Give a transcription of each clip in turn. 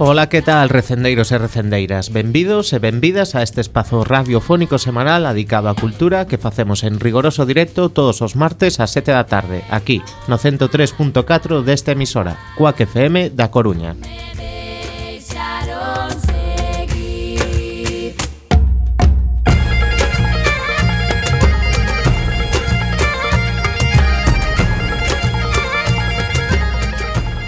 Ola, que tal, recendeiros e recendeiras? Benvidos e benvidas a este espazo radiofónico semanal dedicado á cultura que facemos en rigoroso directo todos os martes ás 7 da tarde, aquí, no 103.4 desta emisora, Cuac FM da Coruña.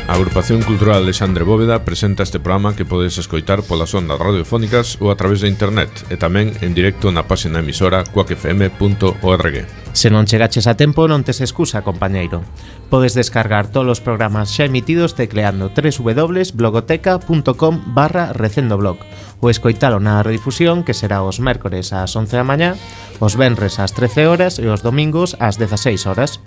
A Agrupación Cultural Alexandre Bóveda presenta este programa que podes escoitar polas ondas radiofónicas ou a través de internet e tamén en directo na página emisora cuacfm.org. Se non chegaches a tempo, non tes excusa, compañeiro. Podes descargar todos os programas xa emitidos tecleando www.blogoteca.com/recendoblog ou escoitalo na redifusión que será os mércores ás 11 da mañá, os venres ás 13 horas e os domingos ás 16 horas.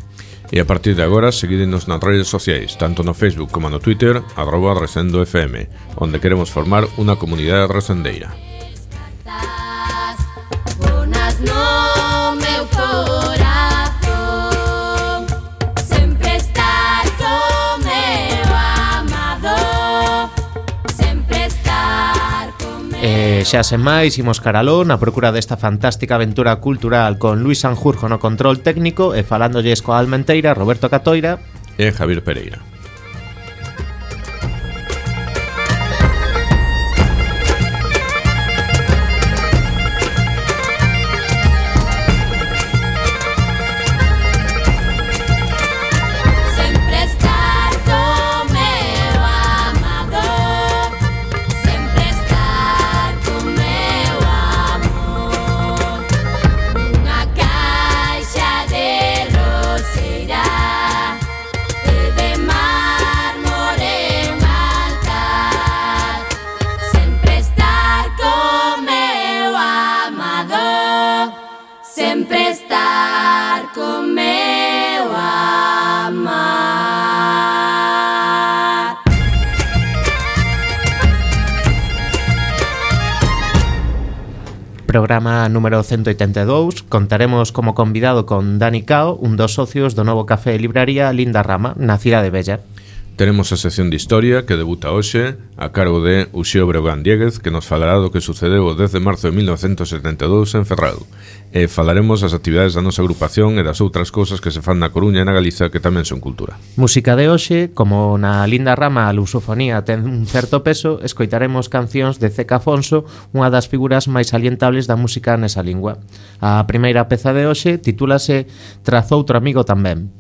E a partir de agora, seguídenos nas redes sociais, tanto no Facebook como no Twitter, @RecendoFM, onde queremos formar unha comunidade recendeira. Xa sen máis, imos caraló na procura desta fantástica aventura cultural con Luis Sanjurjo no control técnico e falándolles coa almenteira Roberto Catoira e Javier Pereira. Programa número 182, contaremos como convidado con Dani Cao, un dos socios do novo café e libraría Linda Rama, na Cidade Bella. Teremos a sección de historia que debuta hoxe a cargo de Uxío Breogán Diéguez, que nos falará do que sucedeu o 10 de marzo de 1972 en Ferrado. E falaremos das actividades da nosa agrupación e das outras cousas que se fan na Coruña e na Galiza que tamén son cultura. Música de hoxe, como na Linda Rama a lusofonía ten un certo peso, escoitaremos cancións de Zeca Afonso, unha das figuras máis salientables da música nesa lingua. A primeira peza de hoxe titúlase Tras outro amigo tamén.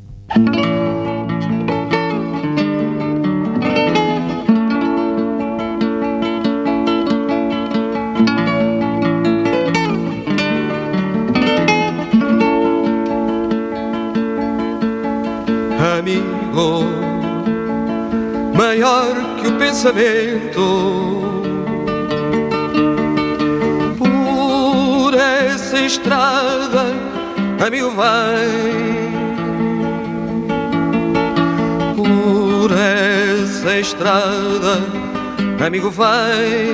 Amigo, maior que o pensamento, por essa estrada, amigo, vai. Por essa estrada, amigo, vai.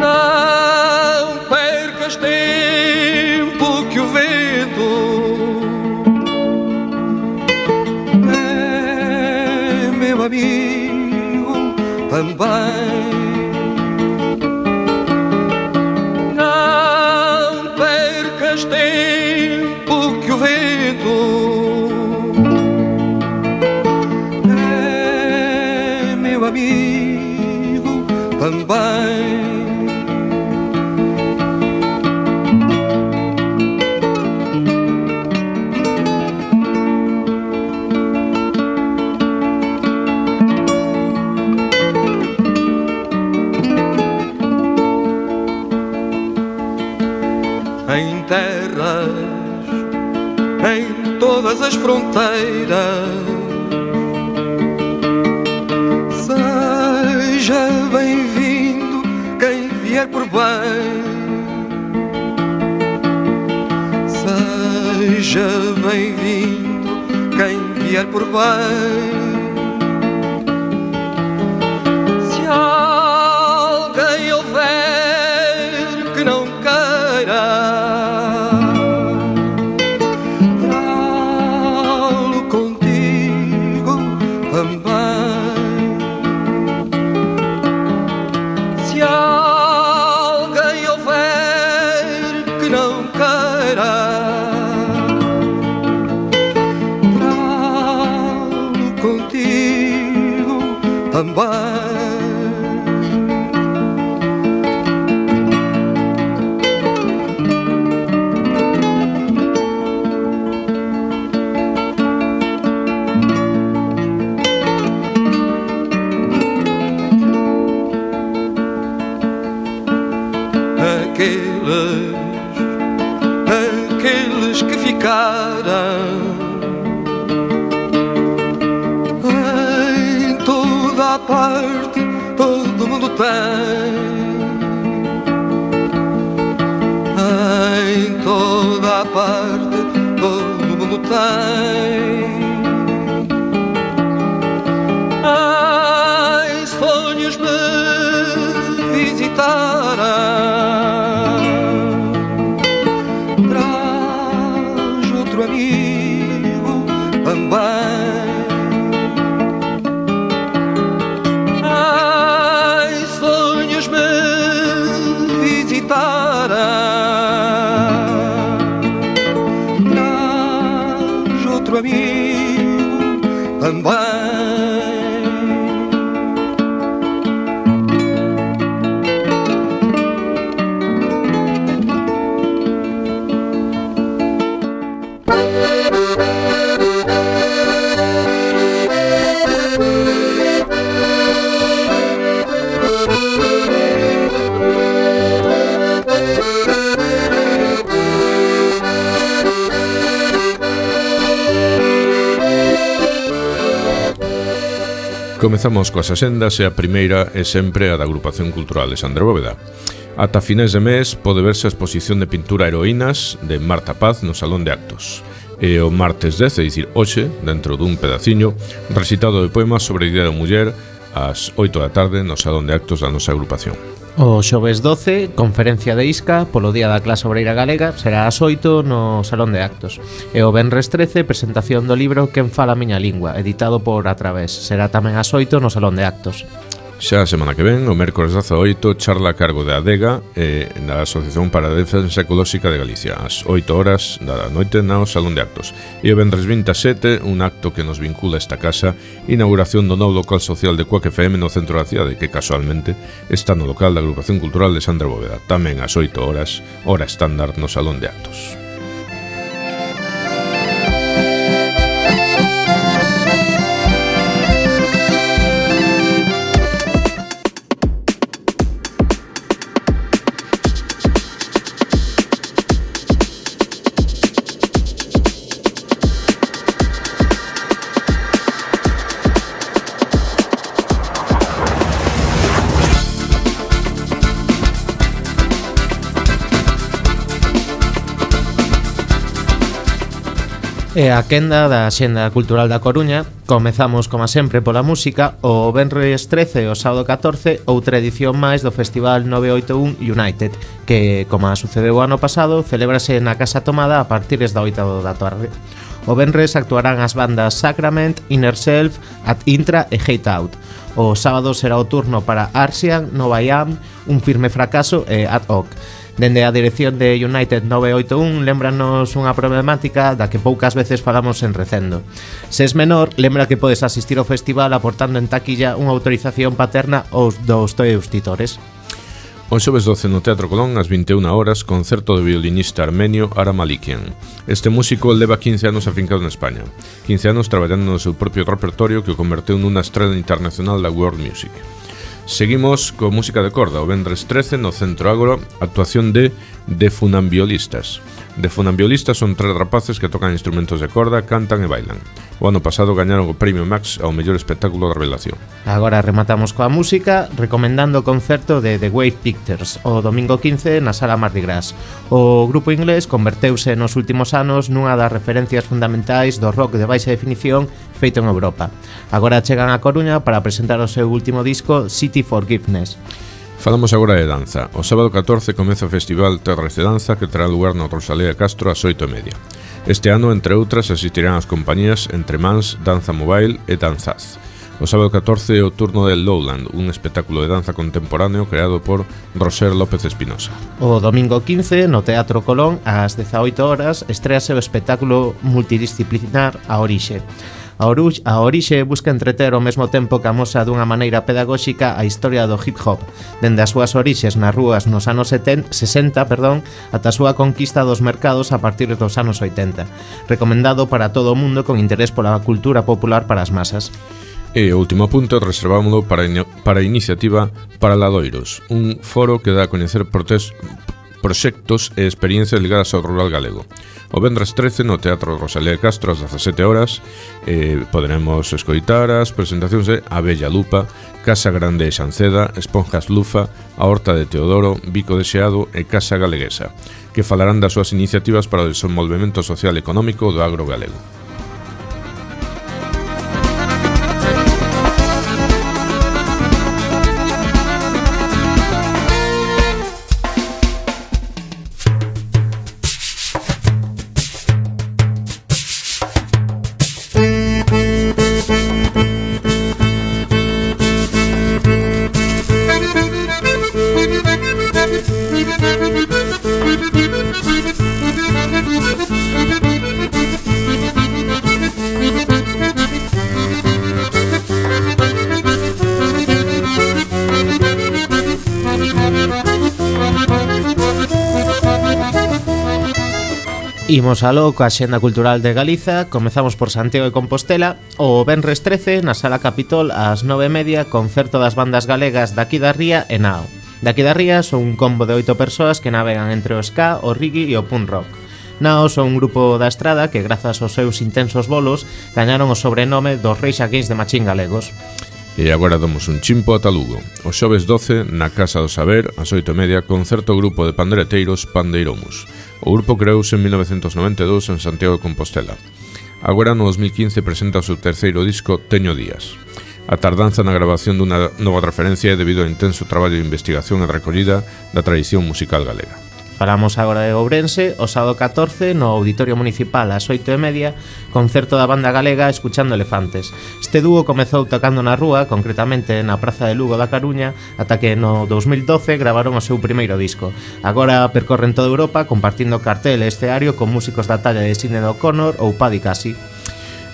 Não percas tempo que o vento amigo também. Não percas tempo que o vento é meu amigo também. Em terras, em todas as fronteiras, seja bem-vindo quem vier por bem. Seja bem-vindo quem vier por bem. Se alguém houver que não queira, contigo também. também. Aqueles que ficaram em toda a parte, todo mundo tem. Em toda a parte, todo mundo tem. Ai, sonhos me visitaram. Amigo também. Ai, sonhos me visitaram. Traz outro amigo também. Comezamos coas axendas e a primeira é sempre a da Agrupación Cultural de Sandra Bóveda. Ata finais de mes pode verse a exposición de pintura Heroínas de Marta Paz no Salón de Actos. E o martes 10, é dicir, hoxe, dentro dun pedaciño, recitado de poemas sobre a Día da Muller ás 8 da tarde no Salón de Actos da nosa agrupación. O xoves 12, conferencia de Isca polo Día da Clase Obreira Galega, será ás 8 no Salón de Actos. E o venres 13, presentación do libro Quen fala a miña lingua, editado por A Través. Será tamén ás 8 no Salón de Actos. Xa a semana que ven, o mércores 18, charla a cargo de ADEGA na Asociación para a Defensa Ecolóxica de Galicia, ás 8 horas da noite no Salón de Actos. E o venres 27, un acto que nos vincula a esta casa, inauguración do novo local social de Cuac FM no centro da cidade, que casualmente está no local da Agrupación Cultural de Sandra Bóveda, tamén ás 8 horas, hora estándar no Salón de Actos. E a quenda da Axenda Cultural da Coruña, comezamos, como sempre, pola música. O venres 13 e o sábado 14, outra edición máis do Festival 981 United, que, como sucedeu o ano pasado, celébrase na Casa Tomada a partir da 8 da tarde. O venres actuarán as bandas Sacrament, Inner Self, Ad Intra e Hate Out. O sábado será o turno para Arsian, Nova Iam, Un Firme Fracaso e Ad Hoc. Dende a dirección de United 981 lembranos unha problemática da que poucas veces falamos en Recendo. Se es menor, lembra que podes asistir ao festival aportando en taquilla unha autorización paterna aos dos teus titores. O xoves 12 no Teatro Colón, ás 21 horas, concerto do violinista armenio Ara Malikian. Este músico leva 15 anos afincado en España, 15 anos traballando no seu propio repertorio que o converteu nunha estrela internacional da world music. Seguimos con música de corda, o venres 13 no Centro Ágora, actuación de Funambiolistas. Funambiolistas son 3 rapaces que tocan instrumentos de corda, cantan e bailan. O ano pasado gañaron o Premio Max ao mellor espectáculo da revelación. Agora rematamos coa música recomendando o concerto de The Wave Pictures o domingo 15 na Sala Mardi Gras. O grupo inglés converteuse nos últimos anos nunha das referencias fundamentais do rock de baixa definición feito en Europa. Agora chegan a Coruña para presentar o seu último disco City Forgiveness. Falamos agora de danza. O sábado 14 comeza o Festival Terres de Danza que terá lugar na Rosalía Castro ás 8:30. Este ano, entre outras, asistirán as compañías Entre Mans, Danza Mobile e Danzaz. O sábado 14 é o turno de Lowland, un espectáculo de danza contemporáneo creado por Roser López Espinosa. O domingo 15, no Teatro Colón, ás 18 horas, estréase o espectáculo multidisciplinar A Orixe. A orixe busca entreter ao mesmo tempo que amosa dunha maneira pedagóxica a historia do hip hop, dende as súas orixes nas rúas nos anos 60, ata a súa conquista dos mercados a partir dos anos 80. Recomendado para todo o mundo con interés pola cultura popular para as masas. E o último punto reservámoslo para a iniciativa Paraladoiros, un foro que dá a coñecer proxectos e experiencias ligadas ao rural galego. O vendres 13 no Teatro Rosalía de Castro ás 17 horas poderemos escoitar as presentacións de A Bella Lupa, Casa Grande e Xanceda, Esponjas Lufa, A Horta de Teodoro, Bico de Xeado e Casa Galeguesa, que falarán das súas iniciativas para o desenvolvemento social e económico do agro galego. Imos aló coa Axenda Cultural de Galiza. Comezamos por Santiago de Compostela. O venres 13, na Sala Capitol, ás 9:30, concerto das bandas galegas Daqui da Ría e Nao. Daqui da Ría son un combo de 8 persoas que navegan entre o ska, o reggae e o punk rock. Nao son un grupo da estrada que, grazas aos seus intensos bolos, gañaron o sobrenome dos Reis Against the Machine galegos. E agora damos un chimpo ata Lugo. O xoves 12, na Casa do Saber, ás 8:30, concerto grupo de pandereteiros Pandeiromus. O grupo creouse en 1992 en Santiago de Compostela. Agora no 2015 presenta o seu terceiro disco, Teño Días. A tardanza na grabación dunha nova referencia é debido ao intenso traballo de investigación e recollida da tradición musical galega. Falamos agora de Ourense. O sábado 14, no Auditorio Municipal ás 8:30, concerto da banda galega Escuchando Elefantes. Este dúo comezou tocando na rúa, concretamente na Praza de Lugo da Coruña, ata que no 2012 gravaron o seu primeiro disco. Agora percorren toda Europa compartindo cartel e escenario con músicos da talla de Sinéad O'Connor ou Paddy Casey.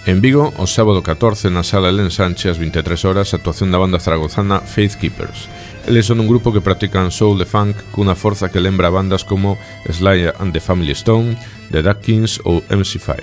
En Vigo, o sábado 14, na Sala Elén Sánchez, ás 23 horas, actuación da banda zaragozana Faith Keepers. Eles son un grupo que practican soul e funk cunha forza que lembra a bandas como Sly and the Family Stone, The Duck Kings ou MC5.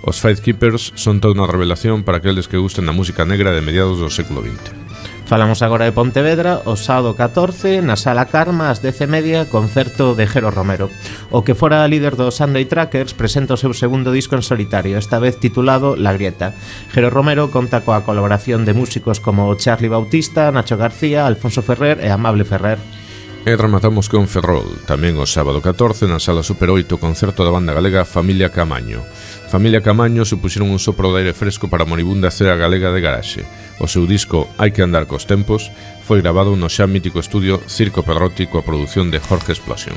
Os Faith Keepers son toda unha revelación para aqueles que gusten da música negra de mediados do século XX. Falamos agora de Pontevedra. O sábado 14, na Sala Karma, ás 10:30, concerto de Jero Romero. O que fora líder dos Sunday Trackers presenta o seu segundo disco en solitario, esta vez titulado La Grieta. Jero Romero conta coa colaboración de músicos como Charly Bautista, Nacho García, Alfonso Ferrer e Amable Ferrer. E rematamos con Ferrol, tamén o sábado 14, na Sala Super 8, concerto da banda galega Familia Camaño. Familia Camaño supuxeron un sopro de aire fresco para a moribunda cea galega de garaxe. O seu disco Hai que andar cos tempos foi grabado no xa mítico estudio Circo Pedrotti coa produción de Jorge Explosión.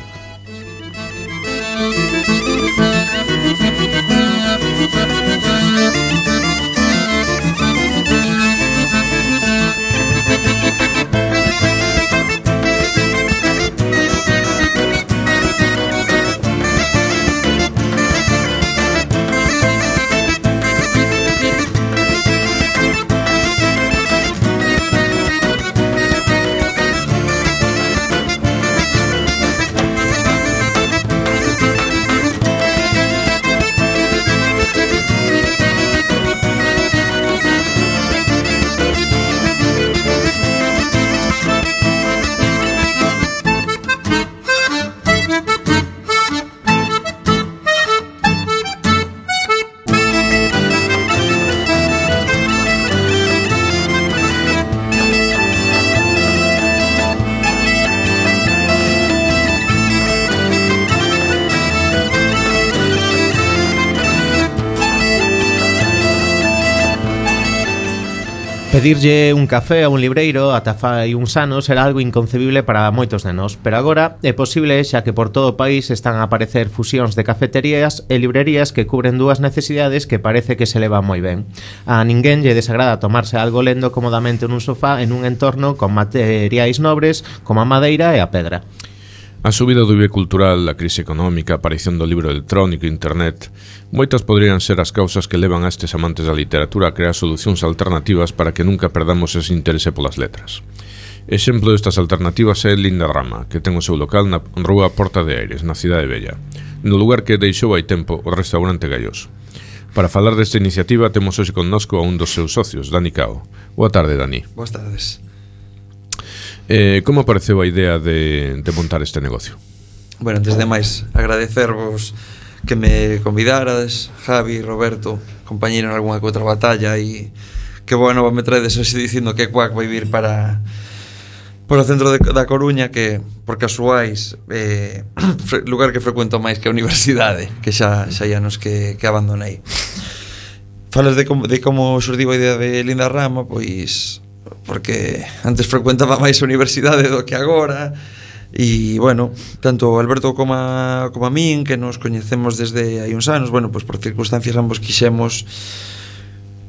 Pedirlle un café a un libreiro ata fai uns anos era algo inconcebible para moitos de nós, pero agora é posible xa que por todo o país están a aparecer fusións de cafeterías e librerías que cubren dúas necesidades que parece que se levan moi ben. A ninguén lle desagrada tomarse algo lendo cómodamente nun sofá en un entorno con materiais nobres como a madeira e a pedra. A subida do IBE cultural, a crise económica, a aparición do libro electrónico e internet, moitas poderían ser as causas que levan a estes amantes da literatura a crear solucións alternativas para que nunca perdamos ese interese polas letras. Exemplo destas alternativas é Lindarrama, que ten o seu local na rúa Porta de Aires, na Cidade Bella, no lugar que deixou hai tempo o restaurante Galloso. Para falar desta iniciativa temos hoxe connosco a un dos seus socios, Dani Cao. Boa tarde, Dani. Boas tardes. Como apareceu a idea de montar este negocio? Bueno, antes de máis, agradecervos que me convidarades, Javi, Roberto, compañeiro en algunha que outra batalla, e que bueno, me traedes hoxe dicindo que Cuac vai vir para o centro da Coruña, que por casuais lugar que frecuento máis que a universidade, que xa anos que abandonei. Falas de como xurdiu a idea de Lindarrama, pois porque antes frecuentaba máis a universidade do que agora. E, bueno, tanto Alberto como a min, que nos coñecemos desde hai uns anos, bueno, pois por circunstancias ambos quixemos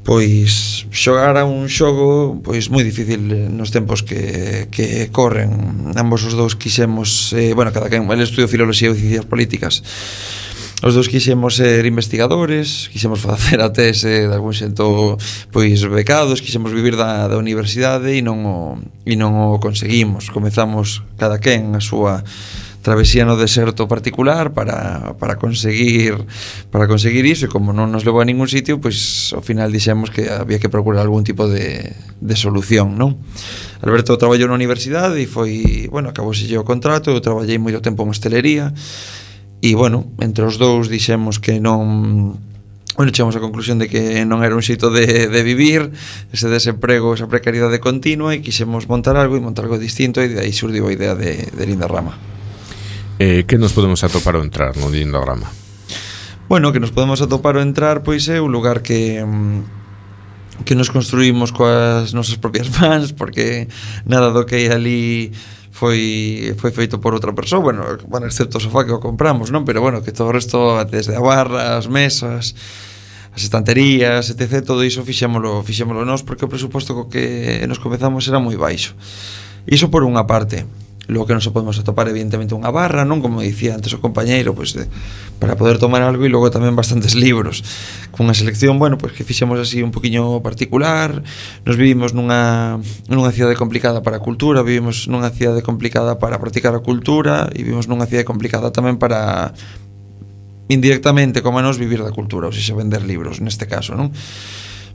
pois xogar a un xogo pois moi difícil nos tempos que corren. Ambos os dous quixemos, bueno, cada quen, el estudio Filoloxía e Ciencias Políticas. Os dous quixemos ser investigadores, quixemos facer a tese de algún xento pois becados, quixemos vivir da universidade e non o conseguimos. Comezamos cada quen a súa travesía no deserto particular para conseguir iso, e como non nos levou a ningún sitio, pois ao final dixemos que había que procurar algún tipo de solución, non? Alberto traballou na universidade e foi, bueno, acabouse o contrato. Eu traballei moito tempo en hostelería. E, bueno, entre os dous dixemos que non... Bueno, chegamos á conclusión de que non era un xeito de vivir, ese desemprego, esa precariedade continua, e quixemos montar algo distinto, e de aí xurdiu a idea de Lindarrama. Que nos podemos atopar ao entrar no Lindarrama? Bueno, que nos podemos atopar ao entrar, pois é un lugar que nos construímos coas nosas propias mans, porque nada do que hai ali foi feito por outra persoa, bueno, excepto o sofá que o compramos, non? Pero bueno, que todo o resto, desde a barra, as mesas, as estanterías, etc., todo iso fixémolo nós, porque o presuposto co que nos comezamos era moi baixo. Iso por unha parte. Logo que non se podemos atopar, evidentemente, unha barra, non? Como dicía antes o compañeiro, pois para poder tomar algo, e logo tamén bastantes libros, con unha selección, bueno, pois que fixemos así un poquinho particular. Nos vivimos nunha cidade complicada para a cultura, vivimos nunha cidade complicada para practicar a cultura, e vivimos nunha cidade complicada tamén para, indirectamente, como a nos, vivir da cultura, ou seja, vender libros, neste caso, non?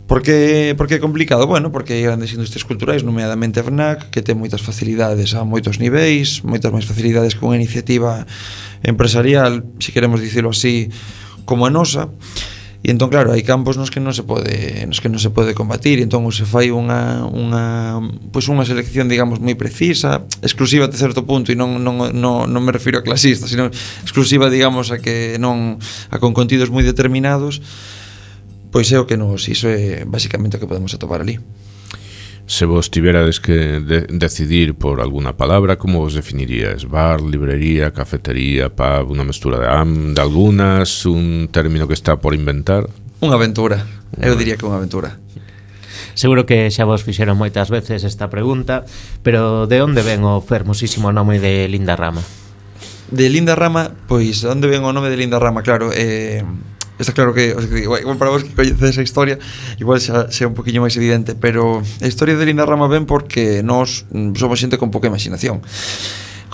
Por que é complicado? Bueno, porque hai grandes industrias culturais, nomeadamente a FNAC, que ten moitas facilidades a moitos niveis, moitas máis facilidades que unha iniciativa empresarial, se queremos dicilo así, como a nosa. E entón, claro, hai campos nos que non se pode combatir, e entón se fai unha selección, digamos, moi precisa, exclusiva até certo punto, e non me refiro a clasista, sino exclusiva, digamos, a con contidos moi determinados. Pois é o que iso é basicamente o que podemos atopar ali. Se vos tiverades que decidir por alguna palabra, como vos definirías? Bar, librería, cafetería, pub, unha mestura de algunas, un término que está por inventar? Unha aventura, eu diría que unha aventura. Seguro que xa vos fixeron moitas veces esta pregunta, pero de onde ven o fermosísimo nome de Lindarrama? De Lindarrama, pois, onde ven o nome de Lindarrama? Claro, está claro que, igual para vos que coñecedes a historia, igual xa un poquinho máis evidente, pero a historia de Lindarrama ven porque nós somos xente con pouca imaginación.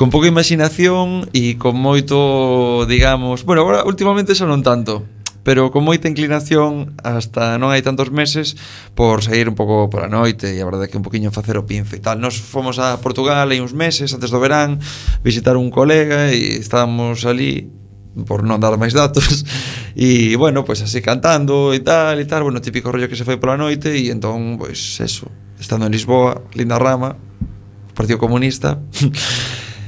Con pouca imaginación e con moito, digamos, bueno, agora últimamente xa non tanto, pero con moita inclinación, hasta non hai tantos meses, por sair un pouco pola noite, e a verdade é que un poquinho facer o pinzo e tal. Nos fomos a Portugal hai uns meses, antes do verán, visitar un colega, e estábamos ali, por non dar máis datos, e, bueno, pois así cantando e tal, bueno, típico rollo que se fai pola noite, e entón, pois, eso, estando en Lisboa, Lindarrama, Partido Comunista,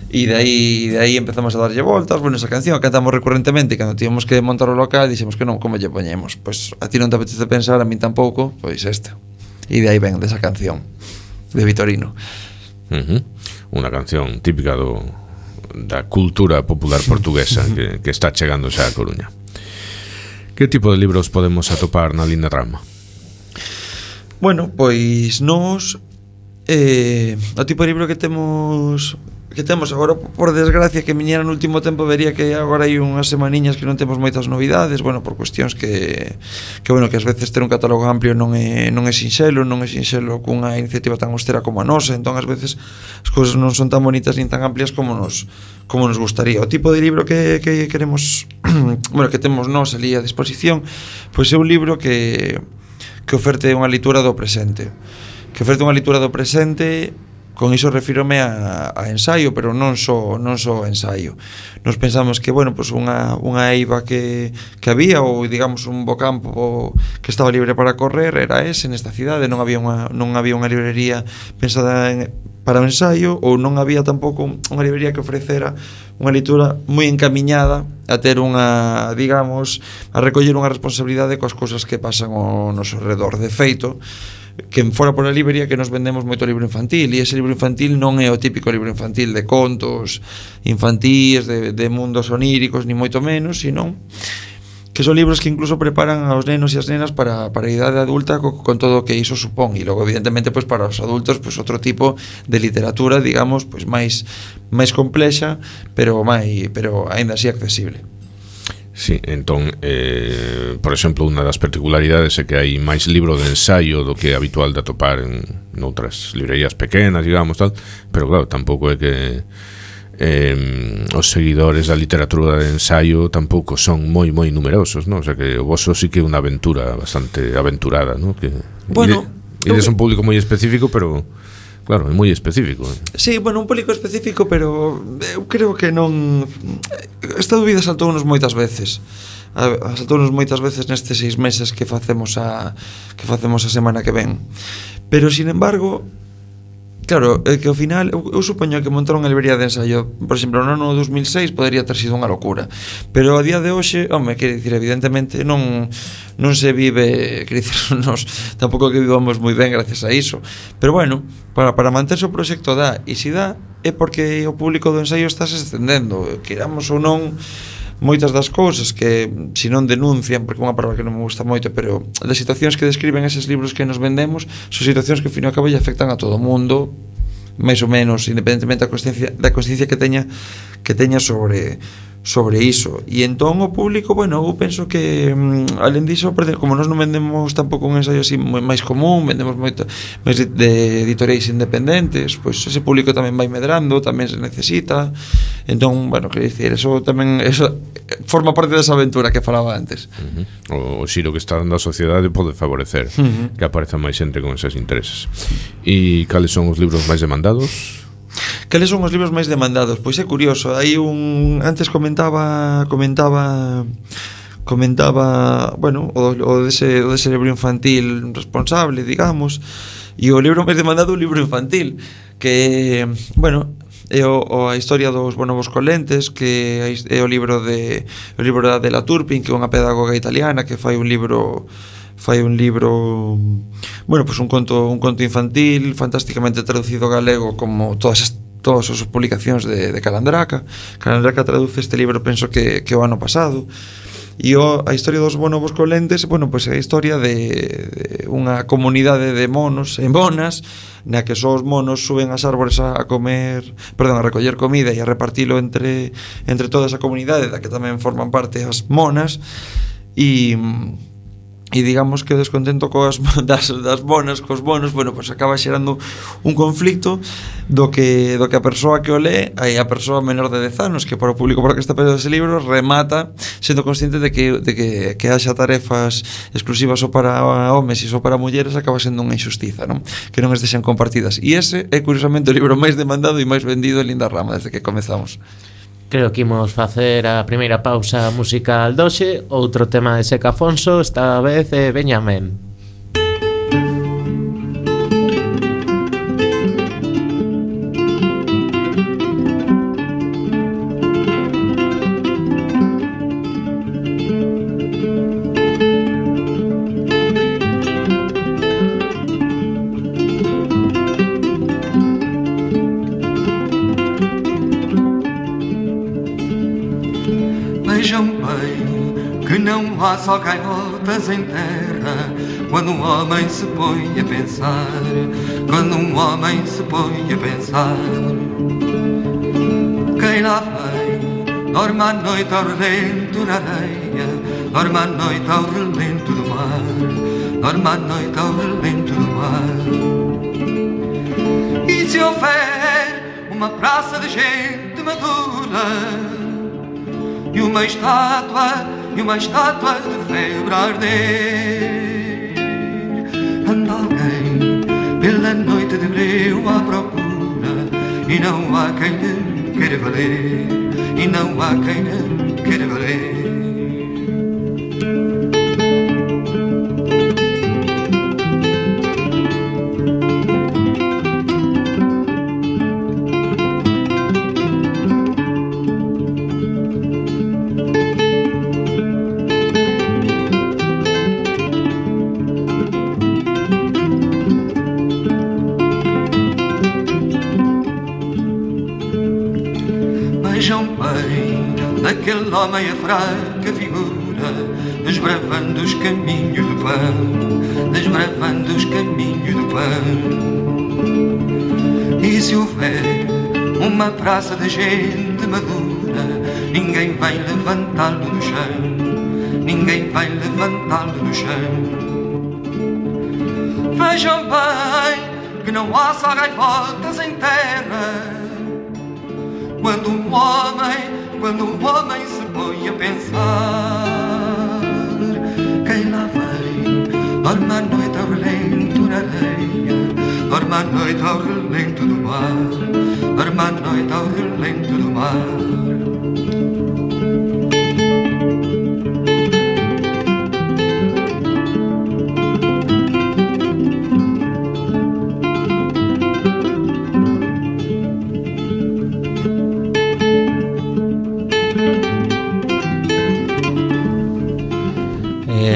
e de aí empezamos a darlle voltas. Bueno, esa canción a cantamos recurrentemente, e cando tíamos que montar o local, dixemos que non, como lle poñemos? Pois a ti non te apetece pensar, a min tampouco, pois esta. E de aí ven desa canción de Vitorino. Unha canción típica da cultura popular portuguesa que está chegando xa a Coruña. Que tipo de libros podemos atopar na Lindarrama? Bueno, pois nos o tipo de libro que temos que temos agora, por desgracia, que viñera no último tempo, vería que agora hai unhas semaniñas que non temos moitas novidades, bueno, por cuestións que bueno, que ás veces ter un catálogo amplio non é sinxelo cunha iniciativa tan austera como a nosa, entón ás veces as cousas non son tan bonitas nin tan amplias como nos gustaría. O tipo de libro que queremos bueno, que temos nós ali a disposición, pois é un libro que oferte unha lectura do presente. Con iso refírome a ensaio, pero non só ensaio. Nos pensamos que, bueno, pues unha eiva que había, ou digamos un bo campo que estaba libre para correr, era ese nesta cidade, non había unha librería pensada para o ensaio, ou non había tampouco unha librería que ofrecera unha lectura moi encamiñada a ter unha, digamos, a recoller unha responsabilidade coas cousas que pasan ao noso redor. De feito, que fora por a librería que nos vendemos moito libro infantil, e ese libro infantil non é o típico libro infantil de contos infantíes, de mundos oníricos, ni moito menos, sino que son libros que incluso preparan aos nenos e as nenas para a idade adulta con todo o que iso supón, e logo evidentemente pois para os adultos pois outro tipo de literatura, digamos, pois máis complexa, pero aínda así accesible. Sí, entón, por exemplo, unha das particularidades é que hai máis libro de ensaio do que é habitual de atopar en outras librerías pequenas, digamos, tal, pero claro, tampouco é que os seguidores da literatura de ensaio tampouco son moi numerosos, non? O sea que o voso sí que é unha aventura bastante aventurada, non? Que bueno, eres un público moi específico, pero claro, é moi específico. Sí, bueno, un público específico, pero eu creo que non... Esta dúbida saltounos moitas veces. Nestes 6 meses que facemos a semana que ven. Pero, sin embargo, claro, que ao final eu supoño que montar unha librería de ensayo, por exemplo, no ano 2006 podería ter sido unha locura, pero a día de hoxe, home, quere dicir, evidentemente non se vive, quere dicir, nos tampouco que vivamos moi ben gracias a iso, pero bueno, para manterse o proxecto dá, e se dá é porque o público do ensayo está se estendendo, queramos ou non. Moitas das cousas que, se non denuncian, porque é unha palabra que non me gusta moito, pero das situacións que describen eses libros que nos vendemos son situacións que ao fin e ao cabo lle afectan a todo o mundo, máis ou menos, independentemente da consciencia que teña sobre iso. E entón o público, bueno, eu penso que alén diso, como nós non vendemos tampouco un ensaio así máis común, vendemos moito máis de editoriais independentes, pois ese público tamén vai medrando, tamén se necesita. Entón, bueno, quero dicir, eso forma parte desa aventura que falaba antes. O xiro que está dando a sociedade pode favorecer que apareza máis xente con eses intereses. E cales son os libros máis demandados? Cales son os libros máis demandados? Pois é curioso, hai antes comentaba bueno, o dese libro infantil responsable, digamos, e o libro máis demandado é o libro infantil, que, bueno, é a historia dos bonobos colentes, que é o libro de Adela Turpin, que é unha pedagoga italiana que fai un libro, bueno, pues un conto infantil fantásticamente traducido ao galego, como todas as publicacións de Calandraca. Calandraca traduce este libro, penso que o ano pasado. E a historia dos bonobos colentes, bueno, pues é a historia de unha comunidade de monos e monas, na que só os monos suben ás árbores a recoller comida e a repartilo entre toda esa comunidade, da que tamén forman parte as monas, e digamos que o descontento das monas cos monos, bueno, pues acaba xerando un conflicto do que a persoa que o lee, a persoa menor de 10 anos, que para o público para que está pedindo ese libro, remata sendo consciente de que haxa tarefas exclusivas só para homes e só para mulleres, acaba sendo unha injustiza, non? Que non estexan compartidas. E ese é curiosamente o libro máis demandado e máis vendido en Linda Rama desde que comezamos. Creo que imos facer a primeira pausa musical doxe. Outro tema de Seca Afonso, esta vez é Benjamén. Vejam bem que não há só gaivotas em terra quando um homem se põe a pensar, quando um homem se põe a pensar. Quem lá vem, dorme à noite ao relento na areia, dorme à noite ao relento do mar, dorme à noite ao relento do mar. E se houver uma praça de gente madura e uma estátua de febre a arder, anda alguém pela noite de breu à procura, e não há quem lhe queira valer, e não há quem lhe queira valer. Aquele homem a fraca figura, desbravando os caminhos do pão, desbravando os caminhos do pão. E se houver uma praça de gente madura, ninguém vai levantá-lo do chão, ninguém vai levantá-lo do chão. Vejam bem que não há só gaivotas em terra, quando um homem se põe a pensar. Quem lá vem, dorme à noite ao relento na areia, dorme à noite ao relento do mar, dorme à noite ao relento do mar.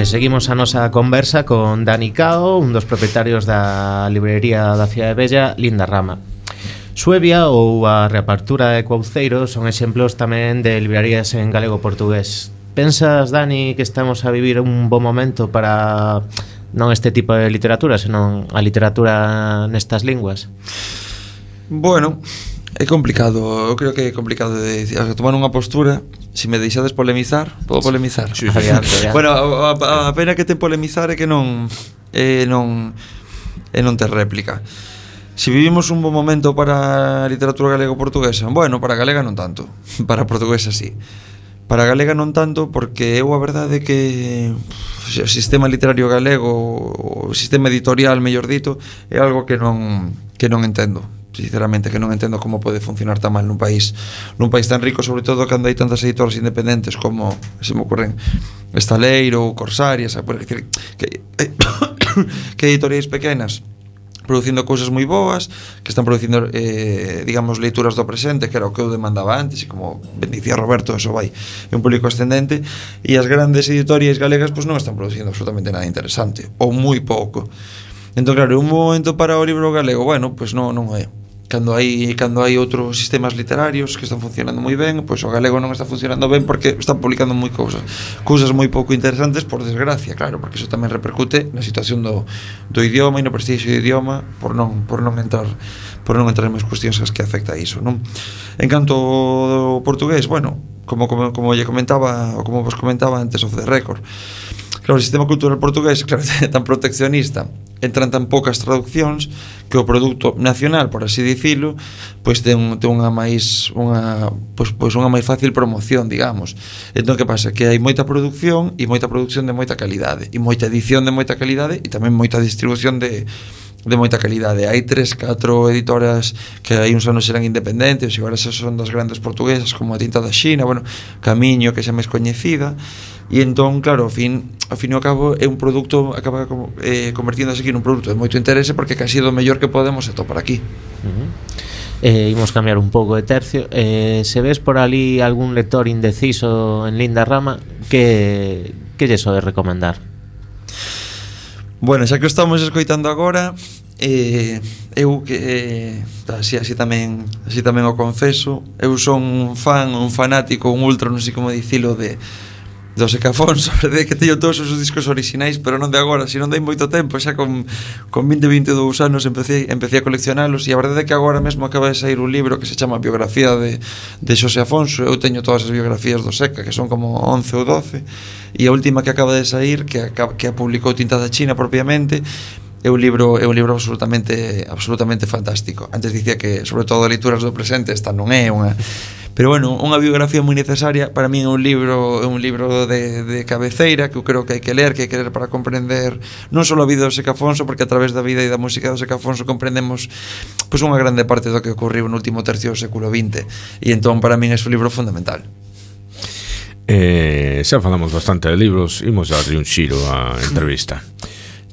Seguimos a nosa conversa con Dani Cao, un dos propietarios da librería da Cidade Bella, Linda Rama. Suevia ou a reapertura de Couceiro son exemplos tamén de librerías en galego-portugués. Pensas, Dani, que estamos a vivir un bo momento para non este tipo de literatura, senón a literatura nestas linguas? Bueno, é complicado, eu creo que é complicado de tomar unha postura. Se me deixades polemizar, podo polemizar. Sí. Adiante, adiante. Bueno, a pena que ten polemizar é que non ten réplica. Se vivimos un bon momento para a literatura galego-portuguesa, bueno, para a galega non tanto, para a portuguesa sí. Para a galega non tanto porque eu a verdade é que o sistema literario galego, o sistema editorial, mellor dito, é algo que non entendo. Sinceramente, que non entendo como pode funcionar tan mal nun país tan rico, sobre todo cando hai tantas editoras independentes como, se me ocurren, Estaleiro ou Corsarias, que editoriais pequenas producindo cousas moi boas, que están producindo digamos, leituras do presente, que era o que eu demandaba antes, e como ben dicía Roberto, eso vai, é un público ascendente, e as grandes editoriais galegas pois non están producindo absolutamente nada interesante, ou moi pouco. Entón, claro, un momento para o libro galego, bueno, pois non é. Cando hai outros sistemas literarios que están funcionando moi ben, pois o galego non está funcionando ben porque están publicando moi cousas moi pouco interesantes, por desgracia, claro, porque iso tamén repercute na situación do idioma e no prestixio do idioma por non entrar en máis cuestións que afecta a iso, non? En canto ao portugués, bueno, como lle comentaba ou como vos comentaba antes of the record, claro, o sistema cultural portugués, claro, é tan proteccionista, entran tan poucas traduccións que o produto nacional, por así dicilo, pois ten unha máis fácil promoción, digamos. Entón, que pasa? Que hai moita produción e moita produción de moita calidade, e moita edición de moita calidade, e tamén moita distribución de moita calidade. Hai 3-4 editoras que hai uns anos eran independentes, e agora son das grandes portuguesas, como a Tinta da Xina, bueno, Camiño, que xa máis coñecida. E entón, claro, ao fin e ao cabo é un produto, acaba convertíndose aquí nun produto de moito interese, porque casi do mellor que podemos atopar aquí. Imos cambiar un pouco de tercio. Se ves por ali algún lector indeciso en Linda Rama, que lle sodes recomendar? Bueno, xa que estamos escoitando agora, eu que así tamén o confeso, eu son un fanático, un ultra, non sei como dicilo, do Seca Afonso, a verdade é que teño todos os discos orixinais, pero non de agora, sino non dei moito tempo, xa con 20, 22 anos empecé a coleccionalos, e a verdade é que agora mesmo acaba de sair un libro que se chama Biografía de Xosé Afonso. Eu teño todas as biografías do Seca, que son como 11 ou 12, e a última que acaba de sair, que a publicou Tinta da China propiamente, é un libro absolutamente fantástico. Antes dicía que, sobre todo, leituras do presente, esta non é unha... Pero bueno, unha biografía moi necesaria. Para min é un libro de cabeceira que eu creo que hai que ler para comprender non só a vida do Seca Afonso, porque a través da vida e da música do Seca Afonso comprendemos pois unha grande parte do que ocorreu no último tercio do século XX, e entón para min é un libro fundamental. Xa falamos bastante de libros, imos a darlle un xiro á entrevista.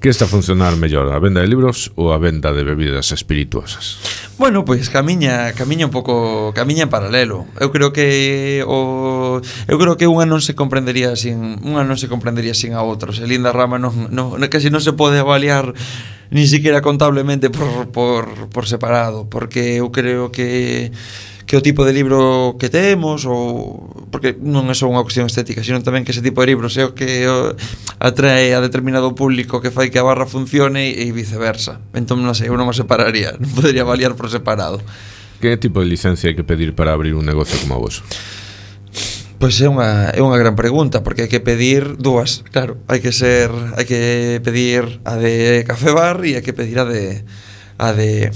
Que está a funcionar mellor, a venda de libros ou a venda de bebidas espirituosas? Bueno, pois camiña un pouco, camiña en paralelo. Eu creo que unha non se comprendería sin a outra. Se Linda Rama casi non se pode avaliar ni siquiera contablemente por separado, porque eu creo que o tipo de libro que temos, ou porque non é só unha cuestión estética, sino tamén que ese tipo de libros é o que atrae a determinado público, que fai que a barra funcione, e viceversa. Entón non sei, eu non o separaría, non podería avaliar por separado. Que tipo de licencia hai que pedir para abrir un negocio como o vosso? Pois é unha gran pregunta, porque hai que pedir dúas, claro, hai que pedir a de café bar e hai que pedir a de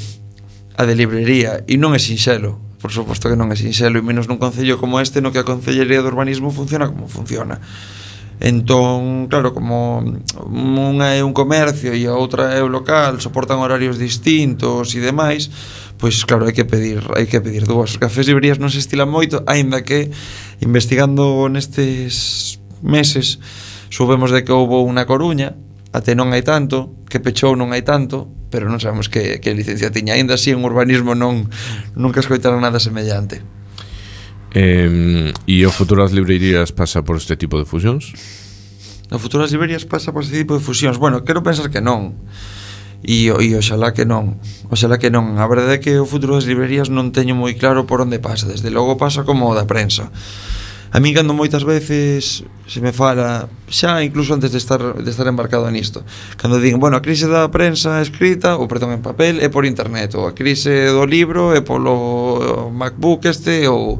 librería, e non é sinxelo. Por suposto que non é sinxelo, e menos nun concello como este, no que a Concellería de Urbanismo funciona como funciona. Entón, claro, como unha é un comercio e a outra é o local, soportan horarios distintos e demais, pois claro, hai que pedir dúas. Os cafés e librerías non se estilan moito, aínda que investigando nestes meses soubemos de que houbo unha Coruña, até non hai tanto, que pechou non hai tanto, pero non sabemos que licencia tiña. Ainda así en urbanismo nunca escoitaron nada semellante. E o futuro das librerías pasa por este tipo de fusións? O futuro das librerías pasa por este tipo de fusións? Bueno, quero pensar que non. E oxalá que non. A verdade é que o futuro das librerías non teño moi claro por onde pasa. Desde logo pasa como o da prensa. A min cando moitas veces se me fala, xa incluso antes de estar embarcado nisto, cando digo, bueno, a crise da prensa escrita, ou perdón, en papel, é por internet, ou a crise do libro é polo MacBook ou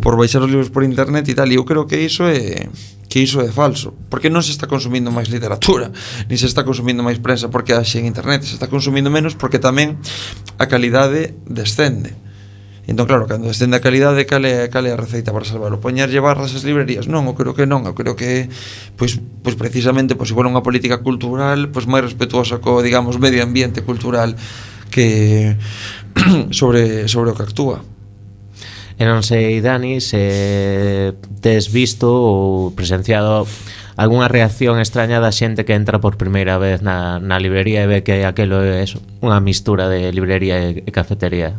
por baixar os libros por internet e tal, e eu creo que iso é falso, porque non se está consumindo máis literatura, ni se está consumindo máis prensa porque haxe en internet, se está consumindo menos porque tamén a calidade descende. Entón, claro, cando descende a calidade, cal é a receita para salvarlo? Poñerlle barras ás librerías? Non, eu creo que non. Eu creo que, pois precisamente, se for unha política cultural, pois máis respetuosa co, digamos, medio ambiente cultural que sobre o que actúa. E non sei, Dani, se tes visto ou presenciado algunha reacción extraña da xente que entra por primeira vez na librería e ve que aquelo é unha mistura de librería e cafetería.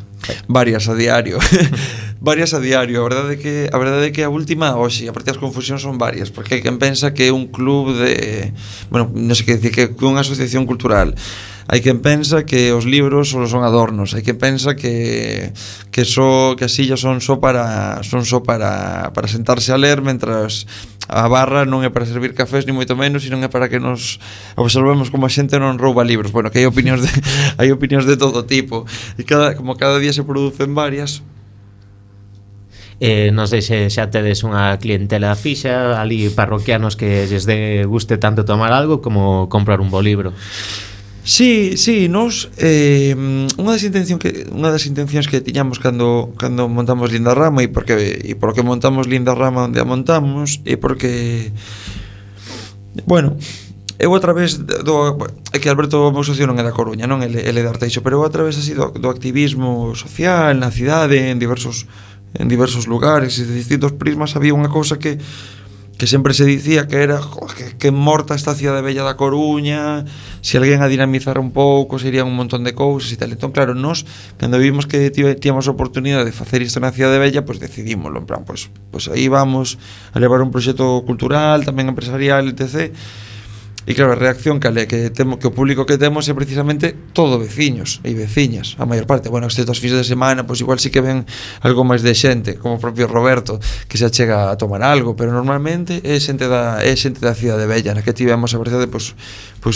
Varias a diario. A verdade é que a última, hoxe, a partir das confusións son varias, porque hai quen pensa que é un club de, bueno, non sei que dicir, que é unha asociación cultural. Hai quen pensa que os libros só son adornos, hai quen pensa que as sillas son só para sentarse a ler, mentras a barra non é para servir cafés ni moito menos, sino é para que nos observemos como a xente non rouba libros. Bueno, que hai opinións de todo tipo, e cada día se producen varias. Non sei se xa tedes unha clientela fixa ali, parroquianos que lles guste tanto tomar algo como comprar un bo libro. Sí, nos unha das intencións que tiñamos cando montamos Linda Rama, e por que montamos Linda Rama onde a montamos, e porque, bueno, eu a través é que Alberto, o meu socio, non é da Coruña, non, ele é de Arteixo, pero eu a través así do activismo social na cidade, en diversos lugares e de distintos prismas, había unha cousa que sempre se dicía que era que morta esta cidade bella da Coruña, se alguén a dinamizara un pouco serían un montón de cousas e tal. Entón, claro, nos cando vimos que tíamos a oportunidade de facer isto na cidade bella, pois decidímoslo, en plan, pois aí vamos a levar un proxecto cultural, tamén empresarial, etc. E claro, a reacción que o público que temos é precisamente todo veciños e veciñas, a maior parte. Bueno, excepto as fins de semana, pois igual sí que ven algo máis de xente, como o propio Roberto, que se achega a tomar algo, pero normalmente é xente da cidade bella, na que tivemos a verdade pois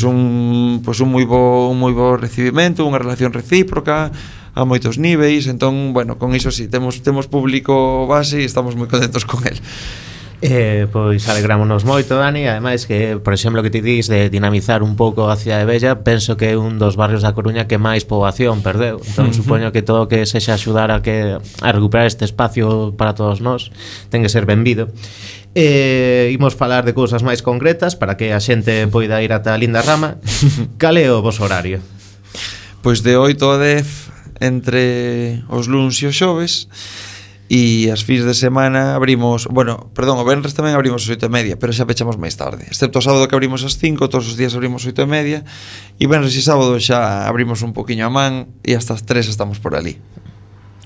un moi bo recibimento, unha relación recíproca a moitos niveis. Entón, bueno, con iso sí, temos público base e estamos moi contentos con el. Pois alegrámonos moito, Dani. Ademais que, por exemplo, que ti dis de dinamizar un pouco a cidade bella, penso que é un dos barrios da Coruña que máis poboación perdeu. Entón supoño que todo o que sexa axudar a recuperar este espacio para todos nós ten que ser benvido. Imos falar de cousas máis concretas para que a xente poida ir ata a Linda Rama. Cal é o voso horario? Pois de 8 a 10 entre os luns e os xoves. E as fins de semana abrimos, o venres tamén abrimos as 8:30, pero xa pechamos máis tarde, excepto o sábado que abrimos as 5, todos os días abrimos 8:30, e venres e sábado xa abrimos un poquinho a man e hasta as 3 estamos por ali.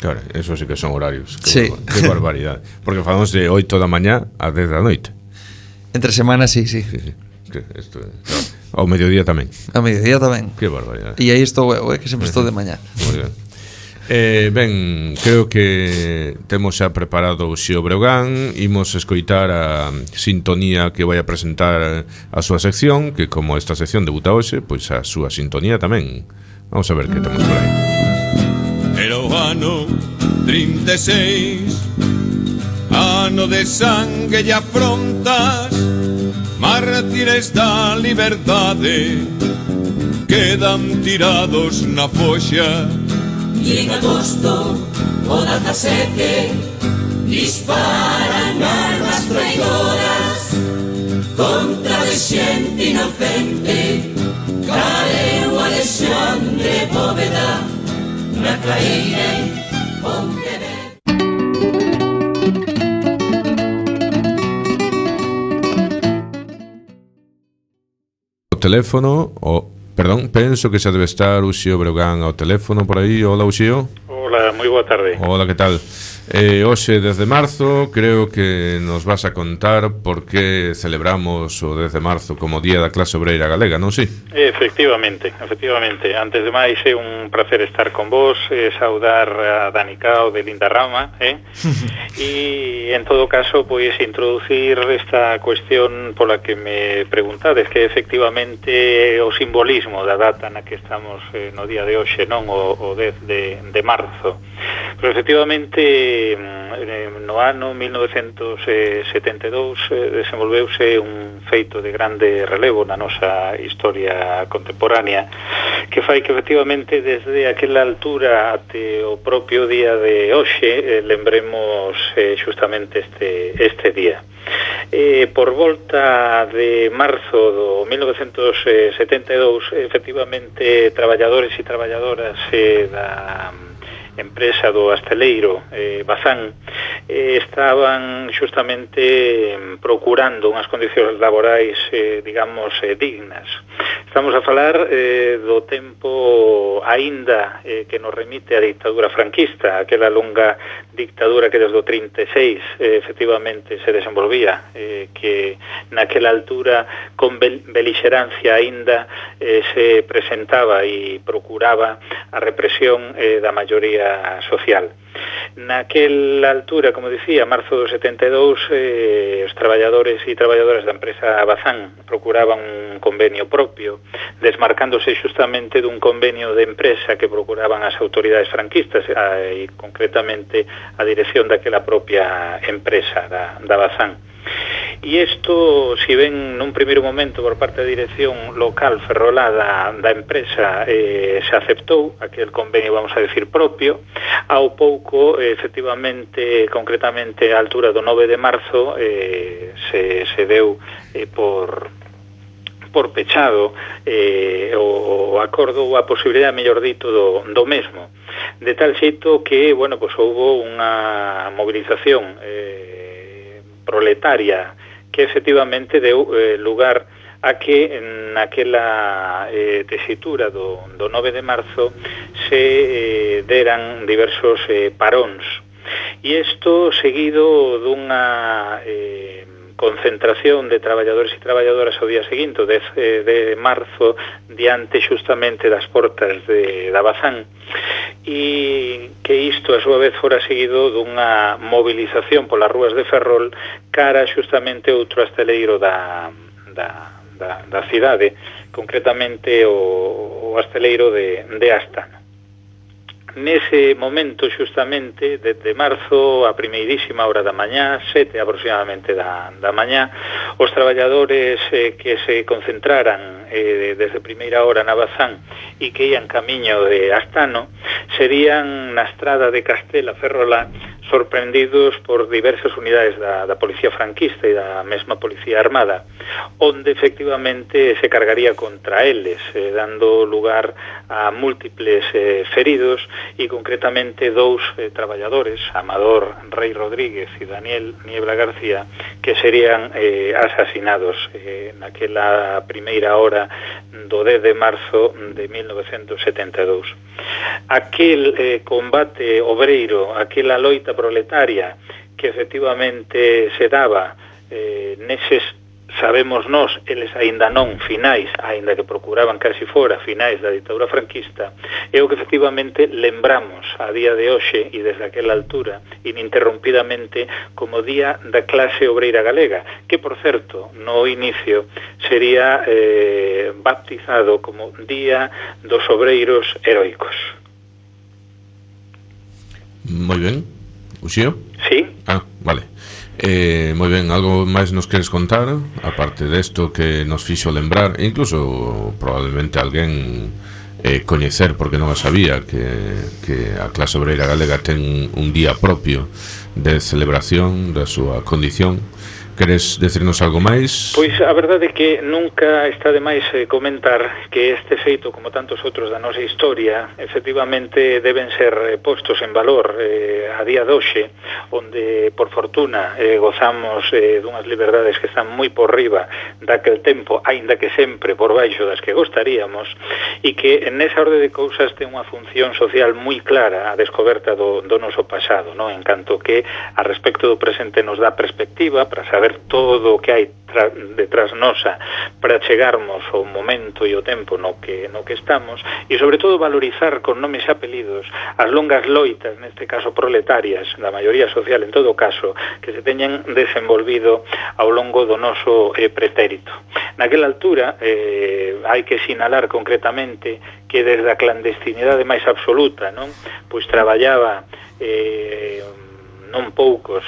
Claro, eso sí que son horarios. Sí. Que barbaridade. Porque falamos de 8 da mañá a 10 da noite. Entre semana, sí. Que isto, claro. Ao mediodía tamén. Ao mediodía tamén. Que barbaridade. E aí estou eu, que sempre estou de mañá. Moi ben. Ben, creo que temos xa preparado o Xio Breogán. Imos escoitar a sintonía que vai a presentar a súa sección, que como esta sección debuta hoxe, pois a súa sintonía tamén. Vamos a ver que temos por aí. Era o ano 36, ano de sangue e afrontas, mártires da liberdade quedan tirados na foxa. E en agosto o 17 disparan armas traidoras contra de xente inocente. Caeu Alexandre Bóveda na caída en Pontevedra. O teléfono, penso que xa debe estar o Xio Breogán ao teléfono por aí. Hola, Xio. Hola, moi boa tarde. Hola, que tal? Hoxe, 10 de marzo, creo que nos vas a contar por que celebramos o 10 de marzo como Día da Clase Obreira Galega, non si? Efectivamente. Antes de máis, é un placer estar con vos, saudar a Dani Cao de Linda Rama, e en todo caso, pois introducir esta cuestión pola que me preguntades, que efectivamente o simbolismo da data na que estamos no día de hoxe, non o 10 de marzo. Pero efectivamente no ano 1972 desenvolveuse un feito de grande relevo na nosa historia contemporánea, que fai que efectivamente desde aquela altura até o propio día de hoxe lembremos justamente este día. Por volta de marzo do 1972, efectivamente, traballadores e traballadoras da empresa do Asteleiro Bazán estaban justamente procurando unhas condicións laborais digamos dignas. Estamos a falar do tempo aínda que nos remite a dictadura franquista, aquela longa dictadura que desde o 36 efectivamente se desenvolvía, que naquela altura con belixerancia aínda se presentaba e procuraba a represión da maioría social. Naquela altura, como dicía, marzo do 72, os traballadores e traballadoras da empresa Bazán procuraban un convenio propio, desmarcándose justamente dun convenio de empresa que procuraban as autoridades franquistas e concretamente a dirección daquela propia empresa da Bazán. E isto, si ben nun primeiro momento por parte da dirección local ferrolada da empresa se aceptou aquel convenio, vamos a decir, propio, ao pouco, efectivamente, concretamente a altura do 9 de marzo se deu por pechado o acordo ou a posibilidade, mellor dito, do mesmo, de tal xeito que, bueno, pues houbo unha movilización proletaria que efectivamente deu lugar a que naquela tesitura do 9 de marzo se deran diversos paróns. E isto seguido dunha concentración de traballadores e traballadoras ao día seguinte, o 10 de marzo, diante xustamente das portas da Bazán, e que isto a súa vez fora seguido dunha movilización polas rúas de Ferrol cara xustamente outro hosteleiro da cidade, concretamente o hosteleiro de Astano. Nese momento, xustamente, de marzo, a primeirísima hora da mañá, 7 aproximadamente da mañá, os traballadores que se concentraran desde primeira hora na Bazán e que ian camiño de Astano, serían na estrada de Castela Ferrolá sorprendidos por diversas unidades da policía franquista e da mesma policía armada, onde efectivamente se cargaría contra eles, dando lugar a múltiples feridos e concretamente 2 traballadores, Amador Rey Rodríguez e Daniel Niebla García, que serían asasinados naquela primeira hora do 10 de marzo de 1972. Aquel combate obreiro, aquela loita proletaria que efectivamente se daba neses, sabemos nós, eles aínda non finais, aínda que procuraban casi fora finais da ditadura franquista, é o que efectivamente lembramos a día de hoxe e desde aquela altura ininterrompidamente como Día da Clase Obreira Galega, que por certo no inicio sería baptizado como Día dos Obreiros Heroicos. Moi ben. Uxío? Sí. Vale. Moi ben, algo máis nos queres contar? Aparte desto que nos fixo lembrar, incluso probablemente alguén coñecer, porque non o sabía, que a clase obreira galega ten un día propio de celebración da súa condición. Queres decirnos algo máis? Pois a verdade é que nunca está de máis comentar que este feito, como tantos outros da nosa historia, efectivamente deben ser postos en valor a día de hoxe, onde por fortuna gozamos dunhas liberdades que están moi por riba daquel tempo, aínda que sempre por baixo das que gostaríamos, e que nesa orde de cousas ten unha función social moi clara a descoberta do noso pasado, non? En canto que a respecto do presente nos dá perspectiva para saber todo o que hai detrás nosa para chegarmos ao momento e o tempo no que estamos, e sobre todo valorizar con nomes e apelidos as longas loitas, neste caso proletarias, da maioría social en todo caso, que se teñen desenvolvido ao longo do noso pretérito. Naquela altura hai que sinalar concretamente que desde a clandestinidade máis absoluta, non? Pois traballaba non poucos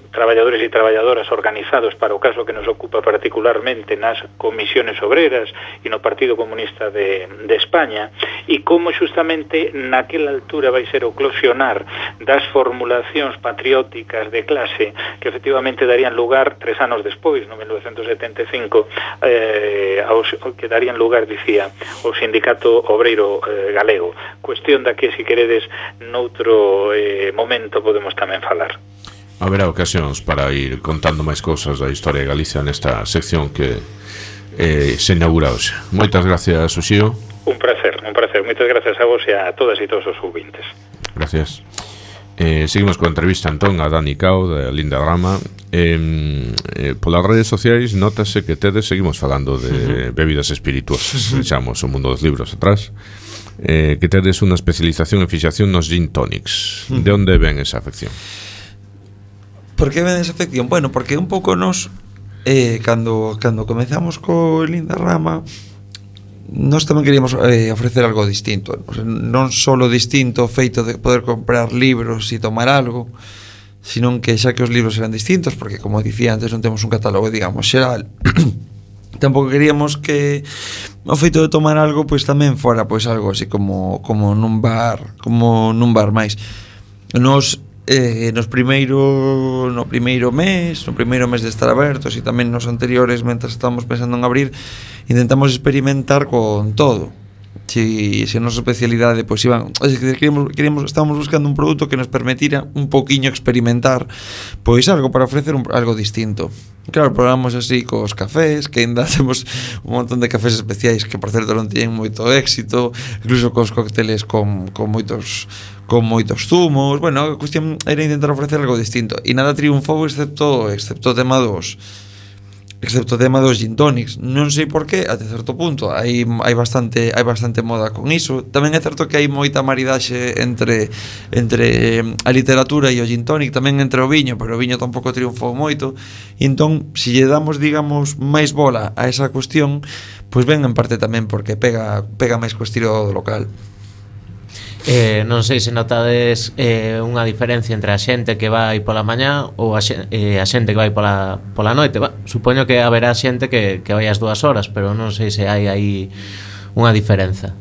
traballadores e traballadoras organizados para o caso que nos ocupa particularmente nas comisiones obreras e no Partido Comunista de España, e como xustamente naquela altura vai ser o eclosionar das formulacións patrióticas de clase que efectivamente darían lugar 3 anos despois, no 1975, que darían lugar, dicía, o Sindicato Obreiro Galego. Cuestión da que, se queredes, noutro momento podemos tamén falar. Haberá ocasións para ir contando máis cousas da historia de Galicia nesta sección que se inaugura hoxe. Moitas gracias, Uxío. Un placer. Moitas gracias a vos e a todas e todos os ouvintes. Gracias. Seguimos coa entrevista entón a Dani Cao de Linda Rama. Polas redes sociais notase que seguimos falando de bebidas espirituosas, deixamos o mundo dos libros atrás, que tedes unha especialización en fixación nos gin tonics. De onde ven esa afección? Por que ven esa afección? Bueno, porque un pouco nos cando comezamos co Linda Rama, nós tamén queríamos ofrecer algo distinto, non solo distinto o feito de poder comprar libros e tomar algo, sino que xa que os libros eran distintos, porque como dicía antes non temos un catálogo, digamos, xeral. Tampouco queríamos que o feito de tomar algo pois tamén fora pois algo así como nun bar máis. Nos no primeiro mes de estar abertos e tamén nos anteriores, mentras estábamos pensando en abrir, intentamos experimentar con todo. Se a nosa especialidade pois iban, estábamos buscando un produto que nos permitira un poquinho experimentar pois algo para ofrecer algo distinto. Claro, probamos así cos cafés, que ainda temos un montón de cafés especiais que, por certo, non tiñen moito éxito, incluso cos cócteles con moitos zumos. Bueno, a cuestión era intentar ofrecer algo distinto e nada triunfou excepto o tema dos gin tonics. Non sei por qué, até certo punto hai bastante moda con iso. Tamén é certo que hai moita maridaxe entre a literatura e o gin tonic, tamén entre o viño, pero o viño tampouco triunfou moito. E entón, se lle damos, digamos, máis bola a esa cuestión, pois ben en parte tamén porque pega máis co estilo do local. Non sei se notades unha diferencia entre a xente que vai pola mañá ou a xente que vai pola noite. Supoño que haberá xente que vai as 2 horas, pero non sei se hai aí unha diferenza.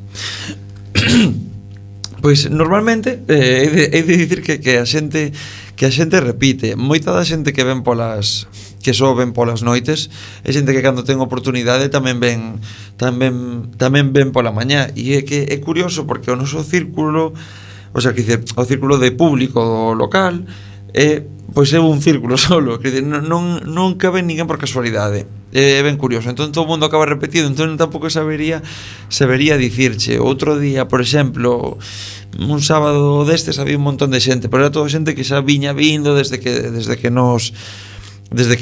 Pois normalmente hai de dicir que a xente repite. Moita da xente que ven que só ven polas noites é xente que cando ten oportunidade tamén ven pola mañá. E é que é curioso porque o noso círculo, o sea, que dice, o círculo de público local pois é un círculo solo, que dice, non cabe ninguén por casualidade. É ben curioso. Entón todo o mundo acaba repetido, entón tampouco sabería dicirche. Outro día, por exemplo, un sábado destes había un montón de xente, pero era toda xente que xa viña vindo desde que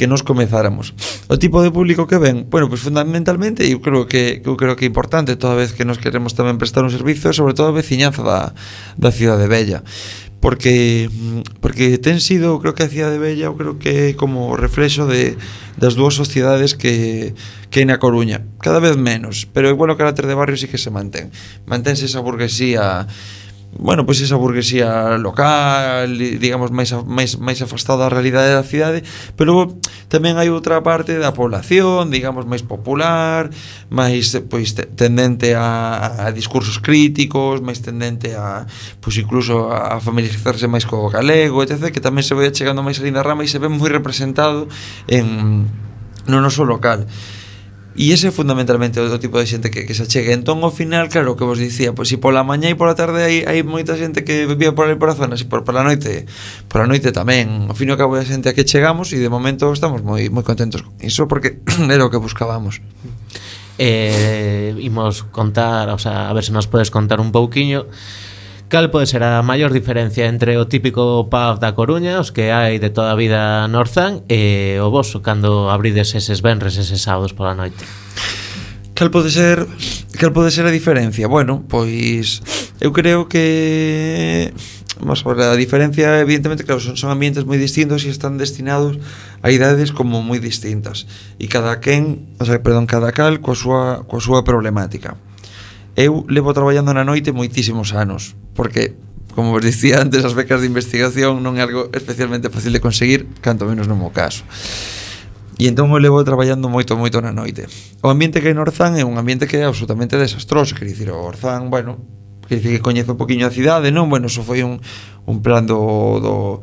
nos comezáramos. O tipo de público que ven, bueno, pues fundamentalmente eu creo que é importante toda vez que nos queremos tamén prestar un servicio, sobre todo a veciñanza da Cidade Vella. Porque ten sido, creo que a Cidade Vella, eu creo que é como reflexo das dúas sociedades que hai na Coruña, cada vez menos, pero igual o carácter de barrio sí que se mantense esa burguesía. Bueno, pois esa burguesía local, digamos, máis afastada da realidade da cidade, pero tamén hai outra parte da población, digamos, máis popular, máis pois tendente a discursos críticos, máis tendente a pois incluso a familiarizarse máis co galego, etc., que tamén se vai chegando máis a Lindarrama e se ve moi representado no noso local. E ese é fundamentalmente o tipo de xente que se achega. Entón, ao final, claro, o que vos dicía, pois se pola mañá e pola tarde hai moita xente que vive por aí por a zona, e pola noite tamén. Ao fin e ao cabo é a xente a que chegamos e de momento estamos moi contentos con iso porque era o que buscábamos. Imos contar, o sea, a ver se nos podes contar un pouquiño cal pode ser a maior diferencia entre o típico pub da Coruña, os que hai de toda a vida no Orzán, e o voso cando abrides eses venres, eses sábados pola noite? Cal pode ser a diferencia? Bueno, pois eu creo que a diferencia, evidentemente, claro, son ambientes moi distintos e están destinados a idades como moi distintas e cada cal coa súa problemática. Eu levo traballando na noite moitísimos anos, porque, como vos dicía antes, as becas de investigación non é algo especialmente fácil de conseguir, canto menos no meu caso. E entón eu levo traballando moito na noite. O ambiente que hai no Orzán é un ambiente que é absolutamente desastroso, quer dicir, o Orzán, bueno, quer dicir que coñezo un poquinho a cidade, non? Bueno, eso foi un plan dos